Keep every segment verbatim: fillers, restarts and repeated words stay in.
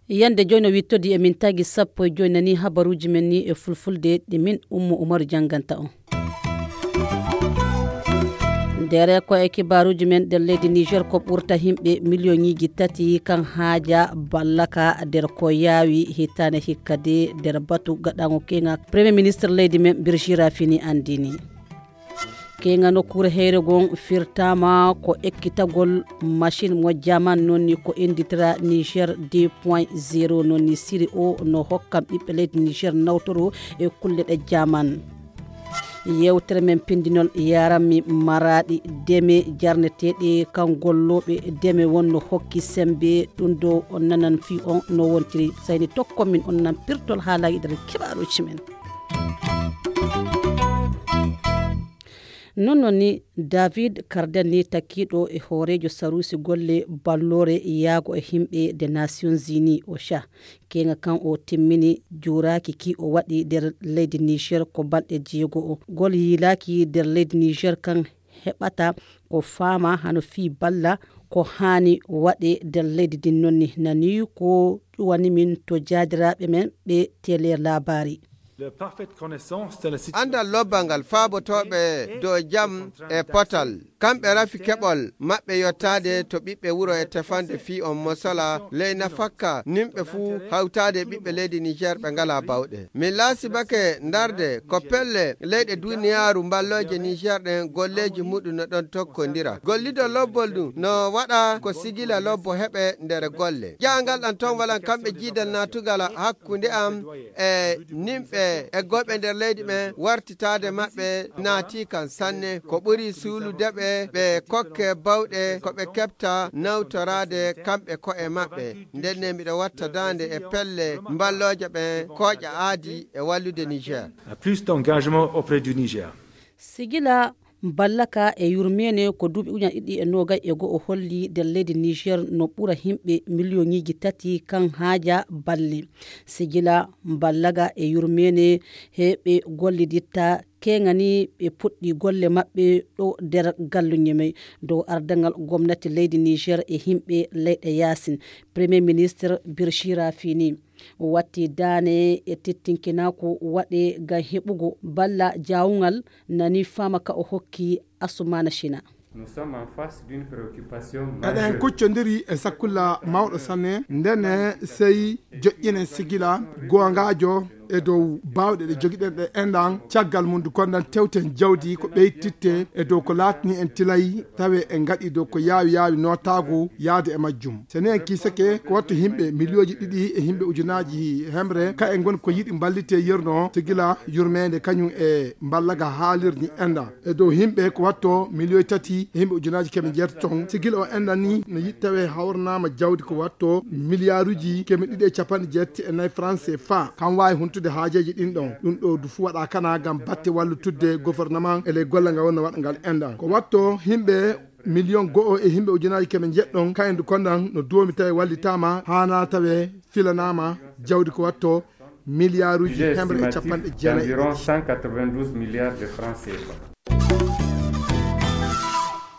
Yande jooni o wittodi e min tagi sappo e jooni nani habaruuji men ni e fulfulde ɗi min Ummu Umaru jannganta on. Ndere ko e kibaaruuji men nder leydi Niger ko ɓurta himɓe miliyoŋiiji tati kan haaja ballaka nder ko yaawi hitaane hikka de nder batu gaɗaŋo keŋa Premier Ministre leydi men Birjira fini anndini. Keŋa nokkuure heyre gon firtama ko ekkitagol machine mo jaman nonni ko inditira Niger deux point zéro nonni siri o no hokkan ɓiɓɓe leydi Niger nawtoro e kulle ɗe jaman. Yewtere men pindinol yaranmi maraɗi deme jarneteɗe kan golloɓe deme wonno hokki sembe ɗum ɗo on nanan fi on no wontiri sayni tokkon min on nan pirtol haalaji nder kibaruji men. Non non ni David Kardel ni takkiɗo e hooreejo saruusi golle balloore yaago e himɓe de Nations Unies o cha keŋa kan o timmini juuraaki ki o waɗi nder leydi Niger ko balɗe jeego o gol yiilaaki nder leydi Niger kan heɓata ko faama hano fii balla ko haani waɗe nder leydi din nonni nani ko ƴuwani min to jaadiraaɓe men ɓe tele laabaari. Andal lobbal ngal faabotooɓe dow jam e potal kamɓe rafi keɓol maɓɓe yottaade to ɓiɓɓe wuro e tefande fii on mosala ley nafakka nimɓe fuu hawtaade e ɓiɓɓe leydi Niger ɓe ngalaa bawɗe. Min laasibake ndarde ko pelle leyɗe duniyaaru mballooje Niger ɗen golleeji muɗum no ɗon tokkondira. Gollido lobbol ɗum no waɗa ko sigila lobbo heɓe nder golle. Jaangal ɗan ton walan kamɓe jiidal naatugal hakkunde am e nimɓe e goɓe nder leydi ɓen wartitaade maɓɓe naati kan sanne ko ɓuri suulude ɓe ɓe kokke bawɗe ko ɓe keɓta nawtoraade kamɓe ko'e maɓɓe. Ndenne miɗo watta daande e pelle mballooje ɓen kooƴa aadi e wallude Niger. A plus d'engagement auprès du Niger. Sigila mballaka e yurmeene ko duuɓi ujunaaji ɗiɗi e noogay e go'o holli nder leydi Niger no ɓura himɓe miliyoŋiiji tati kan haaja balle. Sigila mballaga e yurmeene he ɓe golliditta keŋani ɓe puɗɗi golle maɓɓe ɗo nder galluñe may dow ardaŋal gomnati leydi Niger e himɓe leyɗe yaasin. Premier ministre Birchira Fini watti daane e tettinkinaaku waɗe ngam heɓugo balla jaawungal nani faama ka o hokki Asumana Shina. Eɗen kuccondiri e sakkulla mawɗo sanne ndene sey joƴƴinen sigila goongaajo e dow baawɗe ɗe jogiɗen ɗe enɗan caggal mum ndu kondan tewten jawdi ko ɓeytitte e dow ko laatni en tilay tawe en ngaɗi dow ko yaawi yaawi nootaagu yaade e majjum. So ni en kiisake ko wattu himɓe miliyooji ɗiɗi e himɓe ujunaaji hemre ka en ngoni ko yiɗi mballite yerno sigila yurmeende kañum e mballaga haalirni enda e dow himɓe ko watto miliyoy tati e himɓe ujunaaji keme jeetaton sigila o enda ni no yiɗi tawe hawranaama jawdi ko watto miliyaaruji keme ɗiɗi e capanɗe jeetati e nayi franc cfa kam waawi huntude haajeeji ɗin ɗon ɗum ɗo du fuu waɗa kana ngam batte wallutudde gouvernement e ley golle ngal wonno waɗa ngal enda ko watto himɓe miliyon go'o e himɓe ujunaaji keme njeɗɗon kayen du kondan no duwomi tawi wallitaama haana tawe filanaama jawdi ko watto miliyaaruji hemre e capanɗe jeenayi.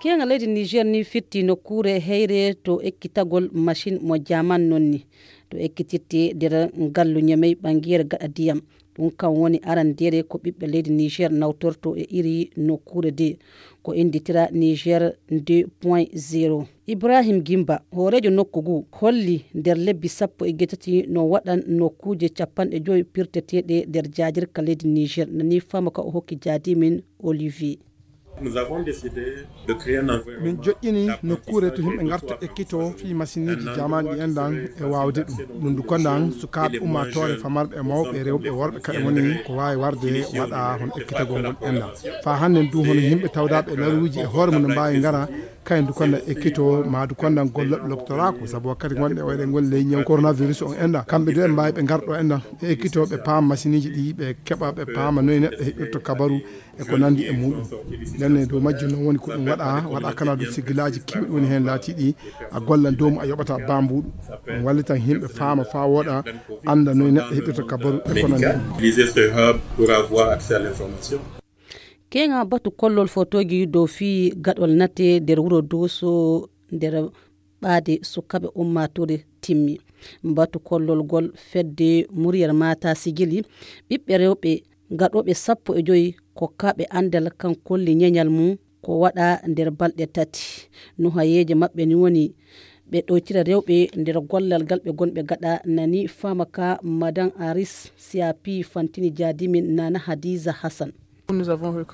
Keeŋa leydi Niger ni fitti nokkuure heyre to ekkitagol machine mo jaman nonni to ekkititte nder ngallu ñamey ɓangeere gaɗa diyam. Ɗum kam woni arandeere ko ɓiɓɓe leydi Niger nawtorto e iri nokkuure de ko innditira Niger deux point zéro. Ibrahim Gimba, hooreejo nokku ngu, holli nder lebbi sappo e jeetati no waɗan nokkuuje capanɗe joyi pirteteeɗe nder jaadirka leydi Niger, nani fama ka o hokki jaadimin Olivier. Min joƴƴini nokkuure to yimɓe ngarta ekkito fii masinniiji jaamaani ɗi enɗan e waawde ɗum. Ɗum du kondan sukaaɓe ummaatoore famarɓe e mawɓe rewɓe e worɓe kaɓe ngoni ko waawi warde waɗa hono ekkitagol ngol enɗan. Faa hannden du hono yimɓe tawdaaɓe e laruuji e hoore mum no mbaawi ngara Kayen du konda ekkito ma du konda gollooɓe loptoraako, sabu wakkati gonɗe o eɗen ngoni ley ñaw coronavirus on enɗa. Kamɓe du en mbaawi ɓe ngarɗo enɗa. Ɓe ekkito ɓe paama masiiniiji ɗi, ɓe keɓa ɓe paama noy neɗɗo heɓirta kabaru e ko nandi e muɗum. Nden ne dow majjum non woni ko ɗum waɗa, waɗa kana du sigilaaji kewɗi woni heen laatiiɗi a gollan dow mum a yoɓata bambuɗo. Ɗum wallitan yimɓe faama faa wooɗa, annda noy neɗɗo heɓirta kabaru e ko nandi e muɗum. Keŋa batu kollol fotooji dow fii gaɗol nate nder wuro Dooso nder ɓaade sukaaɓe ummaatoore timmi. Batu kollol gol fedde Muryar Mata Sigili ɓiɓɓe rewɓe gaɗooɓe sappo e joy kokkaaɓe anndal kan kolli ñeñal mum ko waɗa nder balɗe tati. Nuhayeeje maɓɓe ni woni ɓe ɗoytira rewɓe nder gollal gal ɓe gonɓe gaɗa nani faama ka Madan Aris Siapi fantini jaadimin Nana Hadiza Hassan.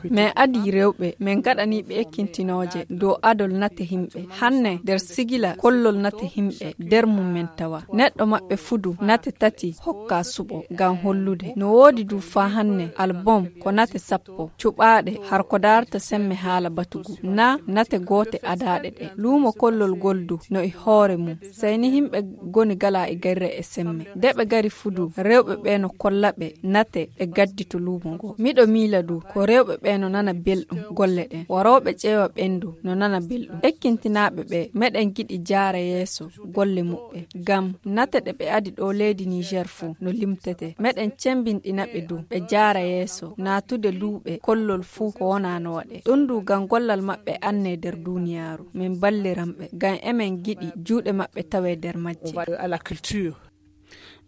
Min adii rewɓe, min gaɗanii ɓe ekkintinooje dow adol nate himɓe. Hanne nder sigila kollol nate himɓe nder mum min tawa. Neɗɗo maɓɓe fudu nate tati hokka suɓo ngam hollude. No woodi du faa hanne album ko nate sappo cuɓaaɗe har ko daarata semme haala batugu na nate goote adaaɗe ɗe. Luumo kollol gol du no e hoore mum. Sey ni himɓe goni gala e gerre e semme. Nde ɓe gari fudu, rewɓe ɓe no kolla ɓe nate ɓe gaddi to luumo ngo. Miɗo miila du ko rewɓe ɓe no nana belɗum golle ɗen. Warooɓe ƴeewa ɓen du no nana belɗum. Ekkintinaaɓe ɓe meɗen giɗi jaara yeeso golle muɓɓe. Ngam nate ɗe ɓe adi ɗo leydi Niger fuu no limtete. Meɗen cembinɗina ɓe du ɓe jaara yeeso naatude luuɓe kollol fuu ko wona no waɗe. Ɗum du ngam gollal maɓɓe anne nder duuniyaaru. Min balliran ɓe ngam emen giɗi juuɗe maɓɓe tawe nder majje.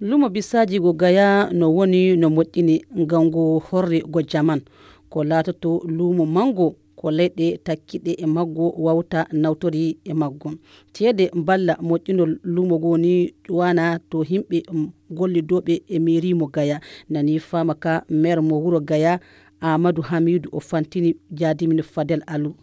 Lumo bisaaji go Gaya no woni no moƴƴini ngam ngu horri go jaman. Ko laatoto lumo mango ko leyɗe takkiɗe e maggo wawta nawtori e maggo. Ceede mballa moƴƴinol lumo go ni ƴuwana to himɓe gollidooɓe e mairie mo Gaya. Nani faama ka maire mo wuro Gaya Amadou Hamidou o fantini jaadimin Fadel Alou.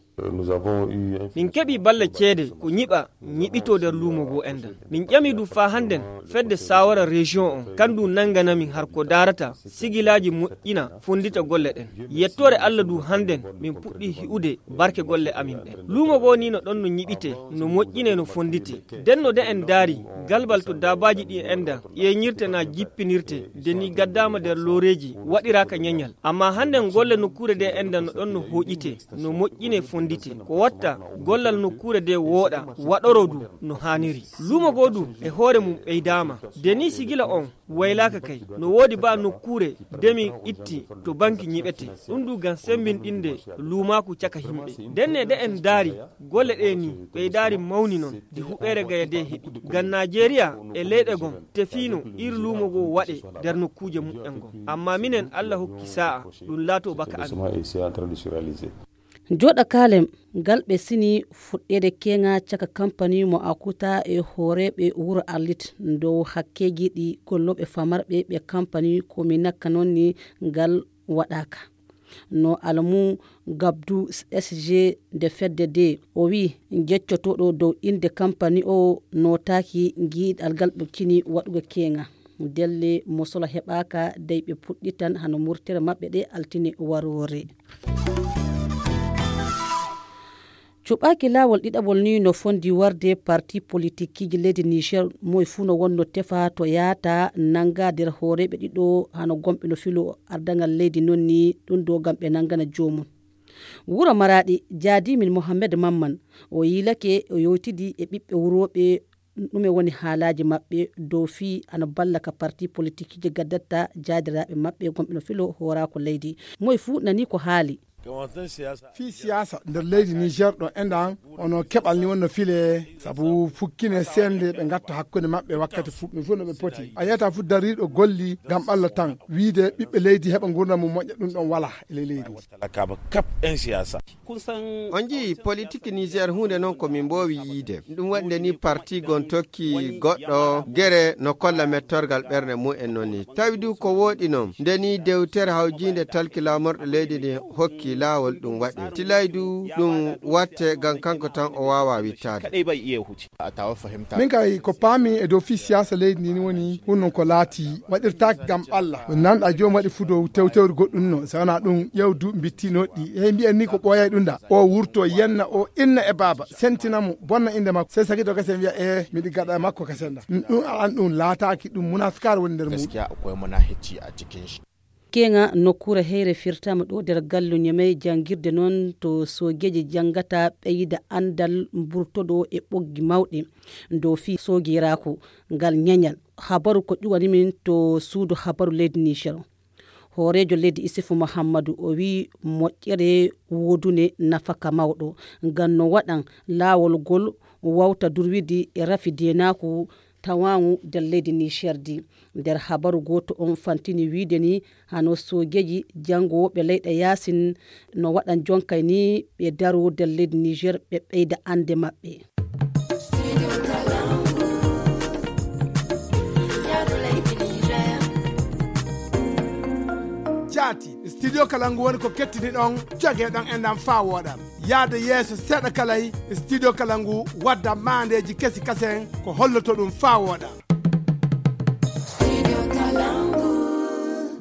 Min keɓi balla ceede ko ñiɓa ñiɓito nder luumo goo enɗan. Min ƴami du faa hannden fedde saawara région on kan du nanngana min har ko daarata sigilaaji moƴƴina fonndita golle ɗen. Yettoore Alla du hannden min puɗɗi hi'ude barke golle amin ɗen. Luumo goo ni no ɗon no ñiɓite, no moƴƴine, no fonndite. Nden no de en daari galbal to daabaaji ɗi enɗan ƴeeñirte naa jippinirte, de ni gaddaama nder looreeji waɗiraaka ñeñal. Amma hannden golle nokkuure de enɗan no ɗon no hooƴite, no moƴƴine, fonndite. Ko watta gollal nokkuure de wooɗa, waɗoro du no haaniri. Luumo goo du e hoore mum ɓeydaama. De ni sigila on waylaaka kay. No woodi baa nokkuure de min itti to banki ñiɓete. Ɗum du ngam semmbinɗinde luumaaku caka himɓe. Nden ne de en daari golle ɗe ni ɓeydaari mawni non de huɓeere Gaya de heɓi. Ngam Naajeeriya e leyɗe gon tefiino iri luumo goo waɗe nder nokkuuje muɓɓen gon. Amma minen Alla hokki saa'a ɗum laato baka amin. Jooɗa kaalem ngal ɓe sini fuɗɗeede keeŋa caka kampani mo Akuta e hooreeɓe wuro Arlit dow hakkeeji ɗi gollooɓe famarɓe ɓe kampani ko mi nakka noon ni ngal waɗaaka. No Alamu Gabdu S G de fedde de o wi jeccotooɗo dow innde kampani o nootaaki giiɗal ngal ɓe kini waɗugo keeŋa. Delle mo solo heɓaaka dey ɓe puɗɗitan hano murtere maɓɓe ɗe altine waroore. Cuɓaaki laawol ɗiɗaɓol ni no fondi warde parti politikiji leydi Niger moy fuu no wonno tefa to yaata nanga nder hooreeɓe ɗiɗo hano gomɓe no filo ardaŋal leydi non ni ɗum do ngam ɓe nangana joomum. Wuro Maraɗi jaadimin Mohammed Mamman o yiilake o yewtidi e ɓiɓɓe wurooɓe ɗume woni haalaaji maɓɓe dow fii ana balla ka parti politikiji gaddatta jaadiraaɓe maɓɓe gomɓe no filo hooraako leydi. Moy fuu nani ko haali. Fii siyaasa nder leydi Niger ɗo enɗan ono keɓal ni wonno file sabu fukkine sende ɓe ngatta hakkunde maɓɓe wakkati fuɗɗum fof no ɓe poti a yiyata fof dariiɗo golli ngam ɓalla tan wiide ɓiɓɓe leydi heɓa ngurdam mum moƴƴa ɗum ɗon wala e ley leydi. On njii politik Niger huunde noon ko min mboowi yiide. Ɗum waɗi nde ni parti gon tokki goɗɗo gere no kolla mettorgal ɓernde mumen noon ni. Tawi du ko wooɗi noon nde ni dewtere hawjiinde talki laamorɗo leydi ndi hokki laawol ɗum waɗe. Tilay du ɗum watte ngam kanko tan o waawaa wittaade. Min kay ko paami e dow fii siyaasa leydi ndi ni woni ɗum non ko laati waɗirtaake ngam Allah. Ko nanɗa joom waɗi fuu dow tewtewri goɗɗum no, so wonaa ɗum ƴeew duuɓi mbitti noɗɗi. Hey mbiyen ni ko ɓooyay ɗum da. O wurto yenna o inna e baaba, sentina mo, bonna innde makko. Sey sakiiɗo kasen wiya, "Ee, miɗi gaɗa e makko kasen da." Ɗum alan ɗum laataaki ɗum munafikaare woni nder muɗum. Gaskiya akwai munafiki a cikin shi. Keŋa nokkuure heyre firtaama ɗo nder gallu Ñamey, janngirde noon to soogeeji janngata ɓeyda anndal mburtoɗo e ɓoggi mawɗi dow fii soogiraaku ngal ñeñal. Habaru ko ƴuwani min to suudu habaru leydi Niger. Hooreejo leydi Isifu Muhammadu o wii moƴƴere woodune nafaka mawɗo ngam no waɗan laawol ngol wawta durwidi e rafi deenaaku tawaangu nder leydi Niger ndi. Nder habaru gooto on fantini wiide ni hano soogeeji janngowooɓe leyɗe yaasin no waɗan jonkay ni ɓe daro nder leydi Niger ɓe ɓeyda annde maɓɓe. Jaati, studio kala ngu woni ko kettini ɗon, jogee ɗon e ndam faa wooɗa. Yaade yeeso seeɗa kalay, studio kala ngu wadda maandeeji kesi kasen ko holloto ɗum faa wooɗa.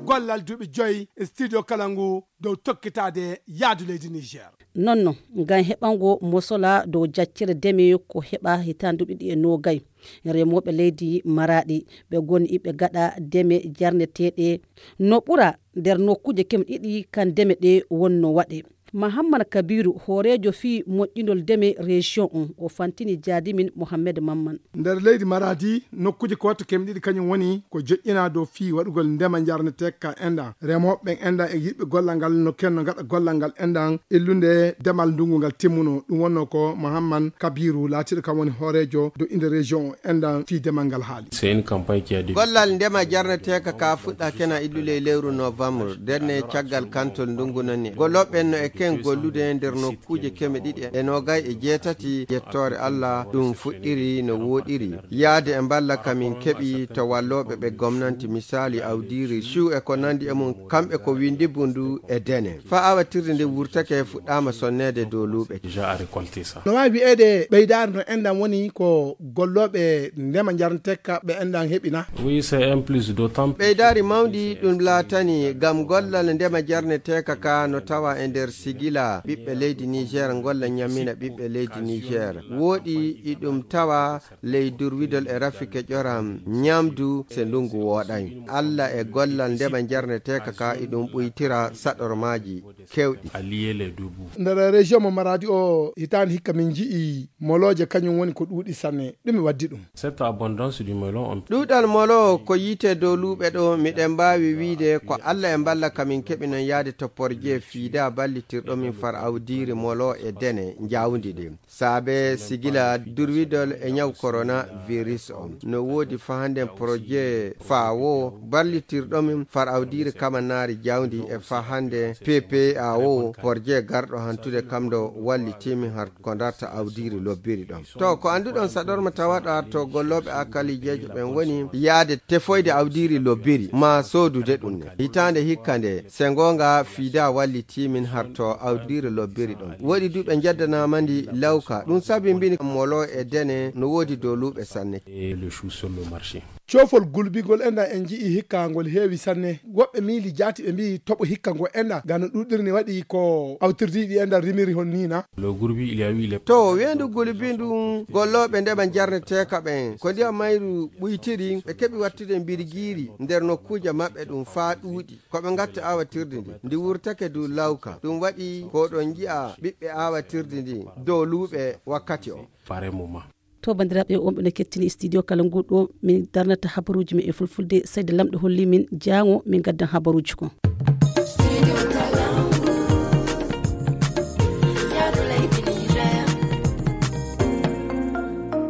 Gollal duuɓi joyi, studio kala ngu dow tokkitaade yaadu leydi Niger. Nonno, ngam heɓango mosola dow jaccere deme ko heɓa hitaande duuɓi ɗiɗi e noogay. Remooɓe leydi Maraaɗi, ɓe goni iɓe gaɗa deme jarneteeɗe no ɓura nder nokkuuje keme ɗiɗi kan deme ɗe wonno waɗe. Mahammad Kabiru, hooreejo fii moƴƴinol deme région on, o fantini jaadimin Mohammed Mamman. Nder leydi Maradi, nokkuuje ko watta keme ɗiɗi kañum woni ko joƴƴinaa dow fii waɗugol ndema njarneteeka enɗan. Remooɓe ɓen enɗan e yiɗɓe gollal ngal no kenno ngaɗa gollal ngal enɗan illunde demal ndungu ngal timmuno. Ɗum wonno ko Mohamman Kabiru laatiiɗo kam woni hooreejo dow inde région o enɗan fii demal ngal haali. C'est une campagne qui a débuté. Gollal ndema jarneteeka ka fuɗɗa kena illule e lewru novembre, ndenne caggal kantol ndungu nani. Gollooɓe en no e ken gollude nder nokkuuje keme ɗiɗi e noogay e jeetati, yettoore Allah, ɗum fuɗɗiri no wooɗiri. Yaade e mballa ka min keɓi to wallooɓe ɓe gomnanti, misaali awdiiri, ciw e ko nandi e mum, kamɓe ko windi bundu e dene. Faa awatirde nde wurtake fuɗɗaama sonneede dow luuɓe. Déjà à récolter ça. No waawi wi'eede ɓeydaare no enɗan woni ko gollooɓe ndema njarneteeka ɓe enɗan heɓi na? Oui, c'est un plus d'autant. Ɓeydaari mawndi ɗum laatani ngam gollal ndema jarneteeka ka no tawa e nder sigila ɓiɓɓe leydi Niger, golla ñammina ɓiɓɓe leydi Niger. Wooɗi iɗum tawa ley durwidol e rafike ƴoram ñamdu se ndungu wooɗay. Alla e gollal ndema jarneteeka ka iɗum ɓuytira saɗormaaji kewɗi. Allier les deux bouts. Nder région mo Maradi o, hitaande hikka min nji'i molooje, kañum woni ko ɗuuɗi sanne. Ɗume waddi ɗum? Cette abondance du melon, on... Ɗuuɗal molo ko yiite dow luuɓe ɗo, miɗen mbaawi wiide ko Alla e mballa ka min keɓi non yaade to porje fiida ballitirɗo min far awdiiri molo e dene njawdi ɗi. Saabe sigila durwidol e ñaw coronavirus on. No woodi fahanden projet faawo ballitirɗo min far awdiiri kamannaari jawdi e fahande P P A O, projet garɗo hantude kam ɗo wallitiimi har ko darta awdiiri lobbiri ɗon. To, ko annduɗon saɗorma tawaɗo har to gollooɓe akalijeejo ɓen woni yaade tefoyde awdiiri lobbiri, maa soodude ɗum ne. Hitaande hikka nde, se ngoonga fiida wallitiimin har to awdiiri lobbiri ɗon. Woɗi du ɓe njaddanaama ndi lawka. Ɗum sabi mbini molo e dene no woodi doluuɓe sanne. Et le chou sur le marché. Coofol gulbingol enɗan en nji'i hikka ngol heewi sanne. Woɓɓe miili jaati ɓe mbi'i toɓo hikka ngo enɗan, ngam no ɗuuɗiri ni waɗi ko awtirdiiɗi enɗan rimiri hon ni na? Le gurbi, il y a eu les... To, weendu gulbi ndun, gollooɓe ndema jarneteeka ɓen, ko ndiyam mayru ɓuytiri, ɓe keɓi wattude mbirgiiri nder nokkuuje maɓɓe ɗum faa ɗuuɗi. Ko ɓe ngatta awatirdi ndi, ndi wurtake du lawka. Ɗum waɗi ko ɗon nji'a ɓiɓɓe awatirdi ndi dow luuɓe wakkati o. Pareil moment. To, banndiraaɓe, on ɓe no kettini studio kala ngu ɗo min darnata habaruuji men e fulfulde. Seydi Lamɗo holli min jaango min ngaddan habaruuji kon.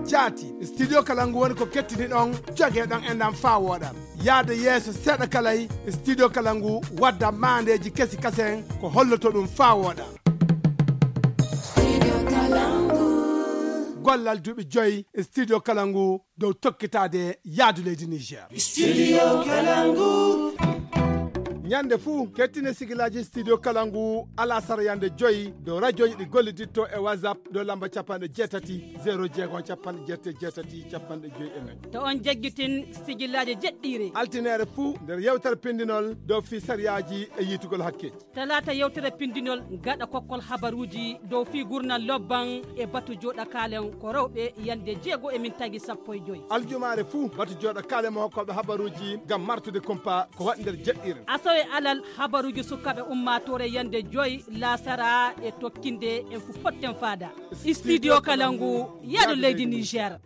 Jaati, studio kala ngu woni ko kettini ɗon, jogee ɗon e ndam faa wooɗa. Yaade yeeso seeɗa kalay, studio kala ngu wadda maandeeji kesi kasen ko holloto ɗum faa wooɗa. Gollal duuɓi joyi, studio kala ngu dow tokkitaade yaadu leydi Niger. Studio kala ngu. Ñande fuu, kettine sigilaaji Studio Kalangu alasara yande joyi dow rajoji ɗi golliditto e WhatsApp dow lamba capanɗe jeetati, zéro jeego, capanɗe jeetati, jeetati, capanɗe joyi e nayi. To on jaggitin sigilaaji jeɗɗiire. Altineere fuu nder yewtere pindinol dow fii sariyaaji e yiitugol hakke. Talaata yewtere pindinol gaɗa kokkol habaruuji dow fii gurnal lobban e batu jooɗa kaalen ko rewɓe yande jeego e min tagi sappo e joyi. Aljumaare fuu batu jooɗa kaalen mo hokkooɓe habaruuji ngam martude kumpa ko waɗi nder jeɗɗiire. Asawe alal habaruuji sukaaɓe ummaatoore yande joyi laasara e tokkinde en fu potten faada. Studio Kalangu, yaadu leydi Niger.